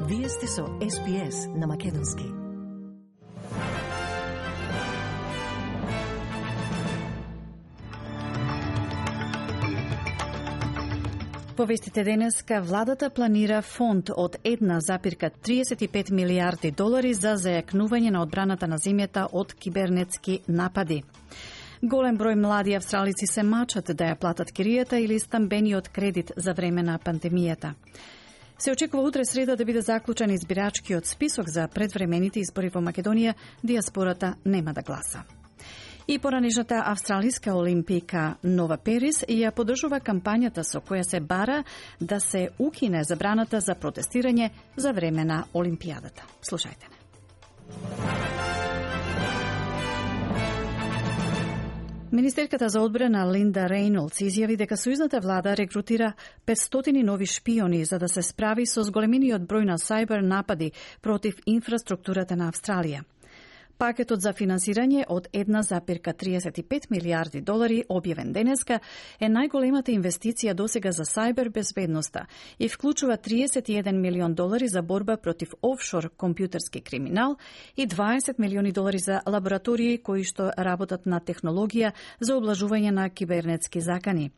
Вие сте со SBS на Македонски. Повестите денеска, владата планира фонд од 1,35 милиарди долари за зајакнување на одбраната на земјата од кибернетски напади. Голем број млади австралици се мачат да ја платат киријата или стамбениот кредит за време на пандемијата. Се очекува утре среда да биде заклучен избирачкиот список за предвремените избори во Македонија, дијаспората нема да гласа. И поранешната австралиска олимпика Нова Перис ја поддржува кампањата со која се бара да се укине забраната за протестирање за време на Олимпијадата. Слушајте не. Министерката за одбрана Линда Рейнолдс изјави дека сојузната влада рекрутира 500 нови шпиони за да се справи со зголемениот број на сајбер напади против инфраструктурата на Австралија. Пакетот за финансирање од 1,35 милиарди долари, објавен денеска, е најголемата инвестиција досега за сајбер безбедноста и вклучува 31 милион долари за борба против офшор компјутерски криминал и 20 милиони долари за лаборатории кои што работат на технологија за облажување на кибернетски закани.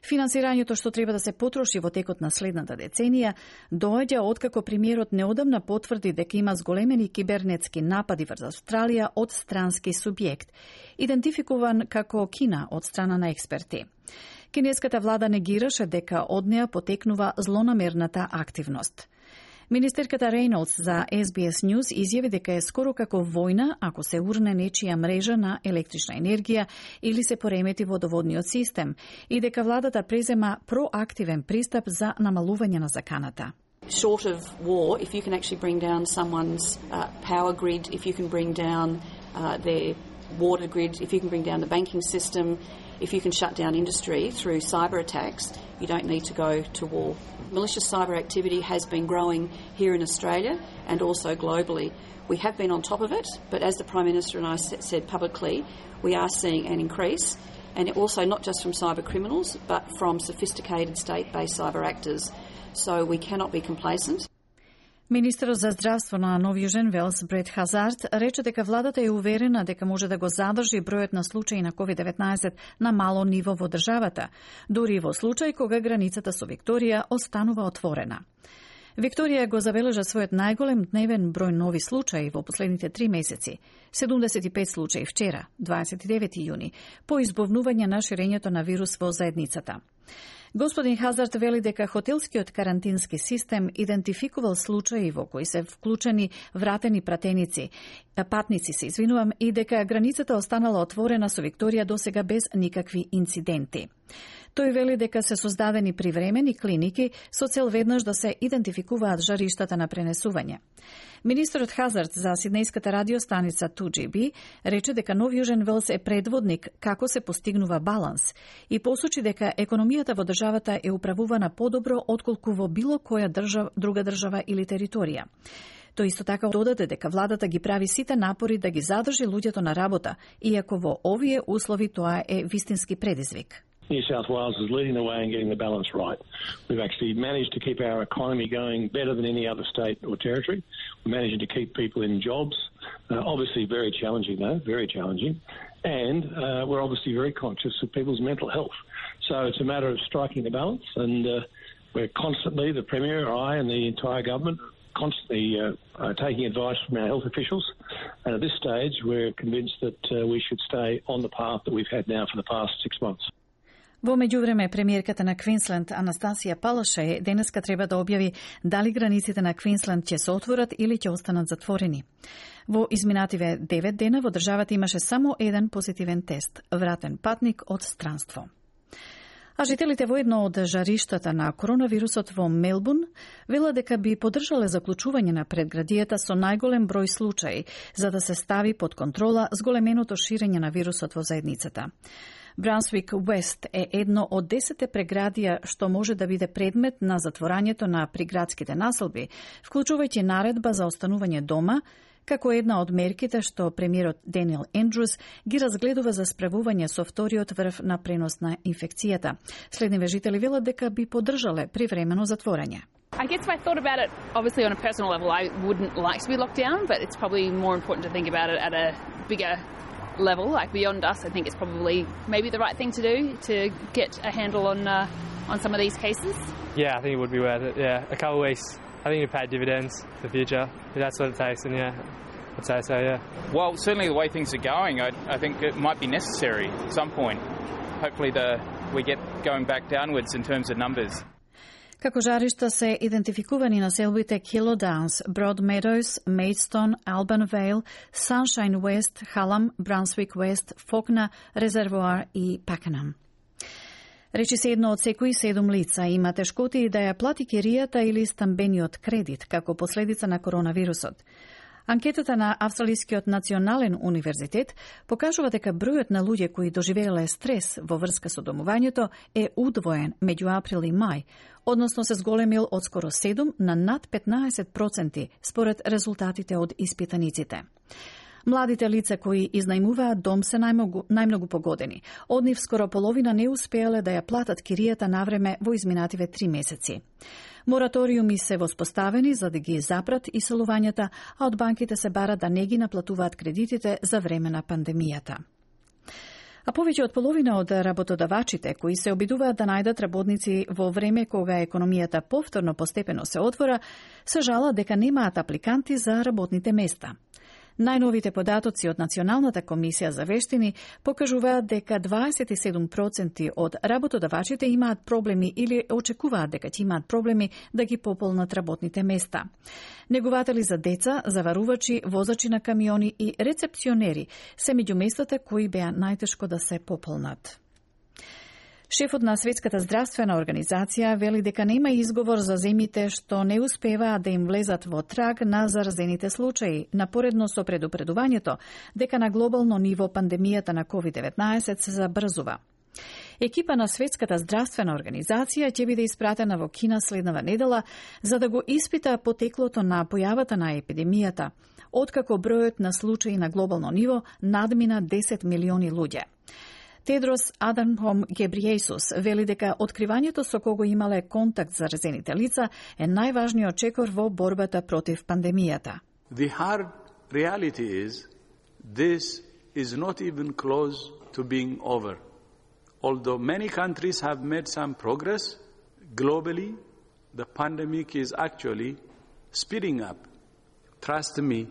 Финансирањето што треба да се потроши во текот на следната деценија доаѓа откако премиерот неодамна потврди дека има зголемени кибернетски напади врз Австралија од странски субјект, идентификуван како Кина од страна на експерти. Кинеската влада негираше дека од неа потекнува злонамерната активност. Министерката Рейнолдс за SBS News изјави дека е скоро како војна ако се урне нечија мрежа на електрична енергија или се поремети водоводниот систем и дека владата презема проактивен пристап за намалување на заканата. Short of war, if you can actually bring down someone's power grid, if you can bring down their water grid, if you can bring down the banking system, if you can shut down industry through cyber attacks, you don't need to go to war. Malicious cyber activity has been growing here in Australia and also globally. We have been on top of it, but as the Prime Minister and I said publicly, we are seeing an increase, and also not just from cyber criminals, but from sophisticated state-based cyber actors. So we cannot be complacent. Министерот за здравство на Нов Јужен Велс Брет Хазард рече дека владата е уверена дека може да го задржи бројот на случаи на COVID-19 на мало ниво во државата, дури и во случај кога границата со Викторија останува отворена. Викторија го забележа својот најголем дневен број нови случаи во последните 3 месеци, 75 случаи вчера, 29 јуни, по избовнување на ширењето на вирус во заедницата. Господин Хазард вели дека хотелскиот карантински систем идентификувал случаи во кои се вклучени вратени патници и дека границата останала отворена со Викторија досега без никакви инциденти. Тој вели дека се создадени привремени клиники со цел веднаш да се идентификуваат жариштата на пренесување. Министерот Хазард за сиднејската радиостаница 2GB рече дека Нов Јужен Велс е предводник како се постигнува баланс и посочи дека економијата во државата е управувана подобро отколку во било која друга држава или територија. Тој исто така додаде дека владата ги прави сите напори да ги задржи луѓето на работа, иако во овие услови тоа е вистински предизвик. New South Wales is leading the way in getting the balance right. We've actually managed to keep our economy going better than any other state or territory. We're managing to keep people in jobs. Obviously very challenging though, very challenging. And we're obviously very conscious of people's mental health. So it's a matter of striking the balance, and we're constantly, the Premier, I and the entire government, constantly taking advice from our health officials. And at this stage we're convinced that we should stay on the path that we've had now for the past 6 months. Во меѓувреме, премиерката на Квинсленд Анастасија Палаше денеска треба да објави дали границите на Квинсленд ќе се отворат или ќе останат затворени. Во изминативе 9 дена во државата имаше само еден позитивен тест – вратен патник од странство. А жителите во едно од жариштата на коронавирусот во Мелбурн велат дека би поддржале заклучување на предградијата со најголем број случаи за да се стави под контрола зголеменото ширење на вирусот во заедницата. Брансвик Уест е едно од 10 преградија што може да биде предмет на затворањето на приградските населби, вклучувајќи наредба за останување дома, како една од мерките што премиерот Даниел Ендрус ги разгледува за справување со вториот врв на пренос на инфекцијата. Следниве жители велат дека би поддржале привремено затворање. I guess if I thought about it, obviously on a personal level, I wouldn't like to be locked down, but it's probably more important to think about it at a bigger level, like beyond us. I think it's probably maybe the right thing to do to get a handle on some of these cases. Yeah, I think it would be worth it. Yeah, a couple of weeks. I think it'd pay dividends for the future. If that's what it takes, and yeah, I'd say so. Yeah. Well, certainly the way things are going, I think it might be necessary at some point. Hopefully, we get going back downwards in terms of numbers. Како жаришта се идентификувани населбите Kilo Downs, Broad Meadows, Maidstone, Alban Vale, Sunshine West, Hallam, Brunswick West, Fawkner, Reservoir и Pakenham. Речи се едно од секои 7 лица има тешкоти да ја плати киријата или стамбениот кредит како последица на коронавирусот. Анкетата на Австралискиот национален универзитет покажува дека бројот на луѓе кои доживееле стрес во врска со домувањето е удвоен меѓу април и мај, односно се зголемил од скоро 7 на над 15% според резултатите од испитаниците. Младите лица кои изнајмуваат дом се најмногу погодени. Од нив скоро половина не успеале да ја платат киријата навреме во изминативе 3 месеци. Мораториуми се воспоставени за да ги запрат иселувањата, а од банките се бара да не ги наплатуваат кредитите за време на пандемијата. А повеќе од половина од работодавачите кои се обидуваат да најдат работници во време кога економијата повторно постепено се отвора, се жалат дека немаат апликанти за работните места. Најновите податоци од Националната комисија за вештини покажуваат дека 27% од работодавачите имаат проблеми или очекуваат дека ќе имаат проблеми да ги пополнат работните места. Негуватели за деца, заварувачи, возачи на камиони и рецепционери се меѓу местата кои беа најтешко да се пополнат. Шефот на Светската здравствена организација вели дека нема изговор за земјите што не успеваат да им влезат во траг на заразените случаи, напоредно со предупредувањето дека на глобално ниво пандемијата на COVID-19 се забрзува. Екипа на Светската здравствена организација ќе биде испратена во Кина следнава недела за да го испита потеклото на појавата на епидемијата, откако бројот на случаи на глобално ниво надмина 10 милиони луѓе. Тедрос Аданхом Гебриесус вели дека откривањето со кого имале контакт заразените лица е најважниот чекор во борбата против пандемијата. The hard reality is this is not even close to being over. Although many countries have made some progress, globally the pandemic is actually speeding up. Trust me,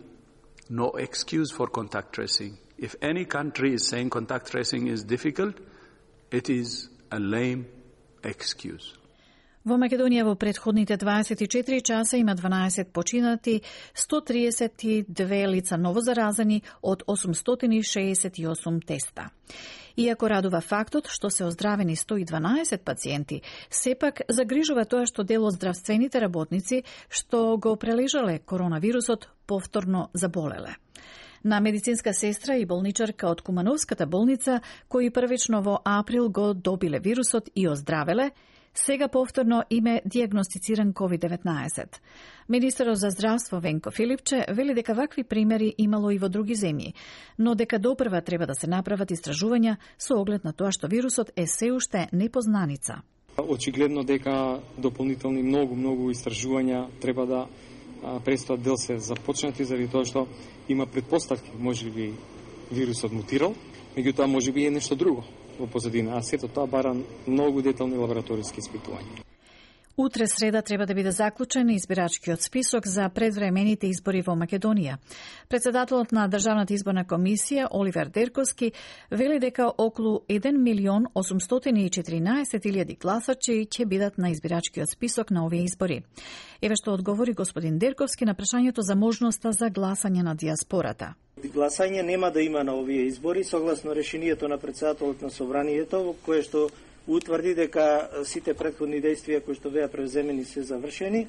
no excuse for contact tracing. If any country is saying contact tracing is difficult, it is a lame excuse. Во Македонија во претходните 24 часа има 12 починати, 132 лица новозаразени од 868 теста. Иако радува фактот што се оздравени 112 пациенти, сепак загрижува тоа што дел од здравствените работници што го прележале коронавирусот повторно заболеле. На медицинска сестра и болничарка од Кумановската болница, кои првично во април го добиле вирусот и оздравеле, сега повторно име дијагностициран COVID-19. Министерот за здравство Венко Филипче вели дека вакви примери имало и во други земји, но дека допрва треба да се направат истражувања со оглед на тоа што вирусот е се уште непознаница. Очигледно дека дополнителни многу истражувања треба да престојат дел се започнати заради тоа што има предпоставки, можеби вирусот мутирал, меѓутоа можеби е нешто друго во позадина, а сето тоа бара многу детални лабораториски испитувања. Утре среда треба да биде заклучен избирачкиот список за предвремените избори во Македонија. Председателот на Државната изборна комисија Оливер Дерковски вели дека околу 1.814.000 гласачи ќе бидат на избирачкиот список на овие избори. Еве што одговори господин Дерковски на прашањето за можноста за гласање на диаспората. Гласање нема да има на овие избори согласно решението на председателот на Собранието, во кое што утврди дека сите претходни действија кои што беа превземени се завршени,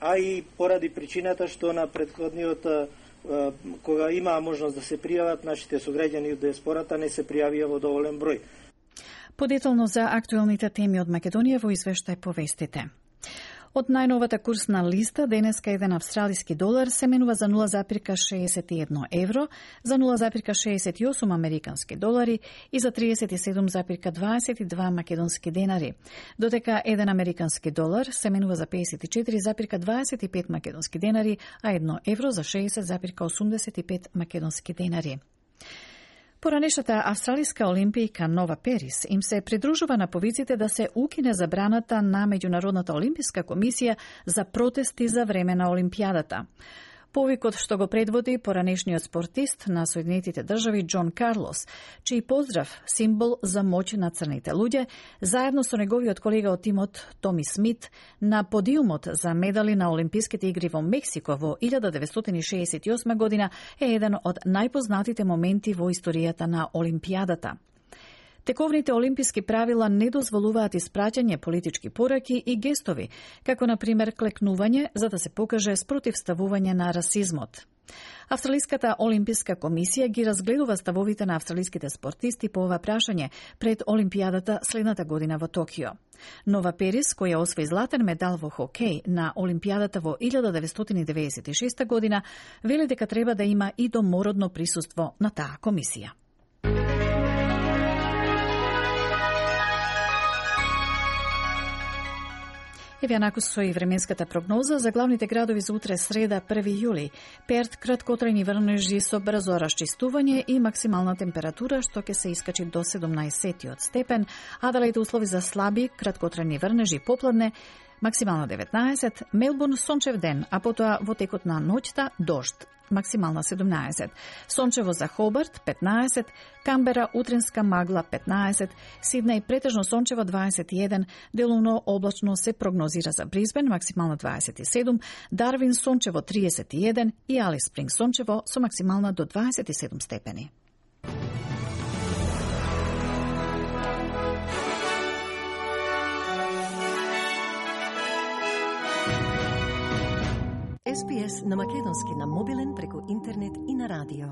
а и поради причината што на претходниот кога имаа можност да се пријават нашите сограѓани од диаспората не се пријавија во доволен број. Подетално за актуелните теми од Македонија во извештај повестите. Од најновата курсна листа, денеска еден австралиски долар се менува за 0,61 евро, за 0,68 американски долари и за 37,22 македонски денари, додека еден американски долар се менува за 54,25 македонски денари, а 1 евро за 60,85 македонски денари. Поранешната австралиска олимпијка Нова Перис им се придружува на повиците да се укине забраната на Меѓународната олимписка комисија за протести за време на олимпијадата. Повикот што го предводи поранешниот спортист на Соединетите држави Џон Карлос, чиј поздрав символ за моќ на црните луѓе, заедно со неговиот колега од тимот Томи Смит на подиумот за медали на Олимписките игри во Мексико во 1968 година е еден од најпознатите моменти во историјата на Олимпијадата. Тековните олимписки правила не дозволуваат испраќање политички пораки и гестови, како на пример клекнување за да се покаже спротивставување на расизмот. Австралиската олимписка комисија ги разгледува ставовите на австралиските спортисти по ова прашање пред Олимпијадата следната година во Токио. Нова Перис, која освои златен медал во хокеј на Олимпијадата во 1996 година, вели дека треба да има и домородно присуство на таа комисија. Еве накусо и временската прогноза за главните градови за утре среда 1 јули. Перт краткотрајни врнежи со брзо расчистување и максимална температура што ќе се искачи до 17 степен, Аделаид услови за слаби краткотрајни врнежи попладне, максимална 19, Мелбурн сончев ден, а потоа во текот на ноќта дожд, максимална 17, сончево за Хобарт 15, Камбера утринска магла 15, Сиднеј претежно сончево 21, делумно облачно се прогнозира за Брисбен, максимална 27, Дарвин сончево 31 и Алис Спринг сончево со максимална до 27 степени. SPS на македонски на мобилен преку интернет и на радио.